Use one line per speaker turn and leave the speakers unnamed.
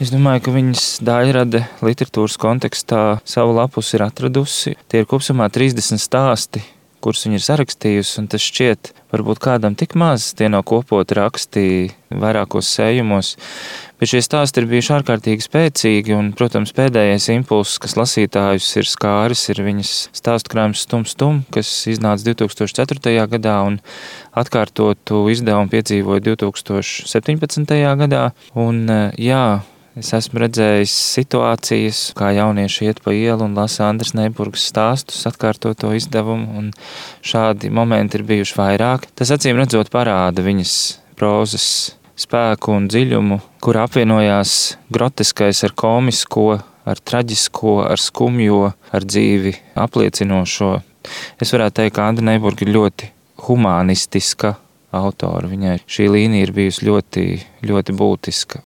Es domāju, ka viņas Daļrade literatūras kontekstā savu lapus ir atradusi. Tie ir kopumā 30 stāsti, kurus viņa ir sarakstījusi, un tas šķiet varbūt kādam tik maz. Tie nav kopoti raksti vairākos sējumos, bet šie stāsti ir bijuši ārkārtīgi spēcīgi, un, protams, pēdējais impulss, kas lasītājus ir skāris, ir viņas stāstu krājums Stum Stum, kas iznāca 2004. gadā, un atkārtotu izdevumu piedzīvoja 2017. gadā. Un, es esmu redzējis situācijas, kā jaunieši iet pa ielu un lasa Andras Neiburgas stāstus, atkārtoto izdevumu, un šādi momenti ir bijuši vairāk. Tas acīm redzot parāda viņas prozas spēku un dziļumu, kur apvienojās groteskais ar komisko, ar traģisko, ar skumjo, ar dzīvi apliecinošo. Es varētu teikt, ka Andra Neiburga ir ļoti humanistiska autora. Viņai šī līnija ir bijusi ļoti, ļoti būtiska.